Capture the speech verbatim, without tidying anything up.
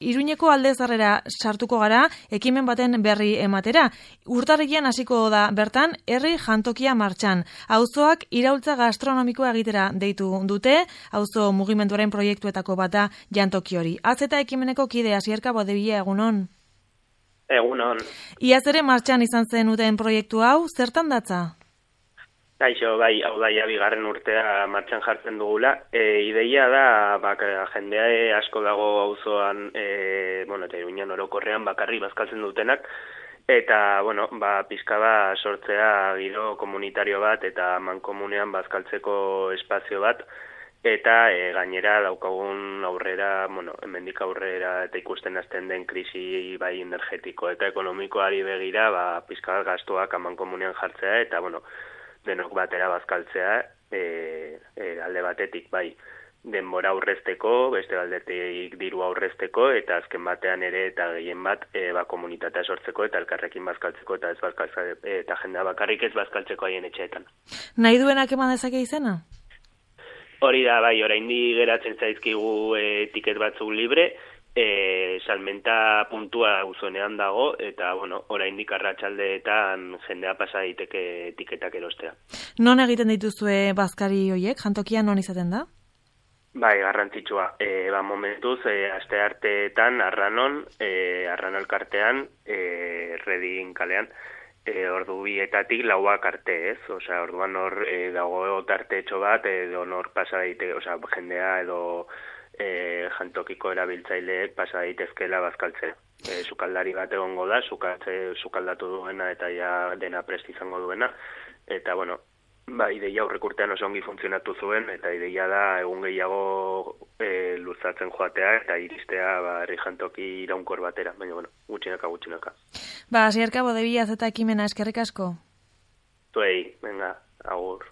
Iruñeko Alde Zaharrera sartuko gara, ekimen baten berri ematera. Urtarrilean hasiko da bertan, herri jantokia martxan. Auzoak iraultza gastronomikoa egitera deitu dute, auzo mugimenduaren proiektuetako bat da jantoki hori. Az eta ekimeneko kide Asierka Bodebila, egunon? Egunon. Iaz ere martxan izan zen uten proiektu hau, zertan datza? Gaixo, bai, hau da, ja, bigarren urtea martxan jartzen dugula. E, ideia da, bak, jendea asko dago auzoan, e, bueno, eta Iruñan orokorrean bakarri bazkaltzen dutenak, eta, bueno, ba, pizka ba sortzea giro komunitario bat, eta mankomunean bazkaltzeko espazio bat, eta e, gainera daukagun aurrera, bueno, hemendik aurrera eta ikusten hasten den krisi bai energetiko eta ekonomikoari begira, ba, pizka bat gastuak amankomunean jartzea, eta, bueno, denok batera bazkaltzea, e, e, alde batetik bai denbora aurrezteko, beste aldetik diru aurrezteko, eta azken batean ere eta gehien bat e, ba, komunitatea sortzeko eta elkarrekin bazkaltzeko eta ez bazkaltzeko, eta jendea bakarrik ez bazkaltzeko haien etxeetan. Nahi duenak eman dezake izena? Hori da, bai, oraindik geratzen zaizkigu e, tiket batzuk libre, E, salmenta puntua uzuenean dago, eta, bueno, oraindik arratsaldeetan jendea pasa daiteke etiketak erostea. Non egiten dituzue bazkari hoiek? Jantokia non izaten da? Bai, garrantzitsua. E, ba, momentuz, e, aste arteetan, arranon, e, arran elkartean, e, redin kalean, e, ordu bietatik lauak arte, ez? Osea, orduan hor e, dago tartetxo bat, edo nor pasa daiteke, osea, jendea edo E, jantokiko erabiltzaileek pasa daitezkela bazkaltzea. E, sukaldari bat egongo da, sukatze, sukaldatu duena eta ja dena prest izango duena. Eta, bueno, ba, ideia aurrek urtean oso ongi funtzionatu zuen, eta ideia da egun gehiago e, luzatzen joatea eta iristea ba, herri jantoki iraunkor batera. Baina, bueno, gutxinaka, gutxinaka. Ba, Asierka Bodebila eta ekimena, eskerrik asko. Zuei, venga, agur.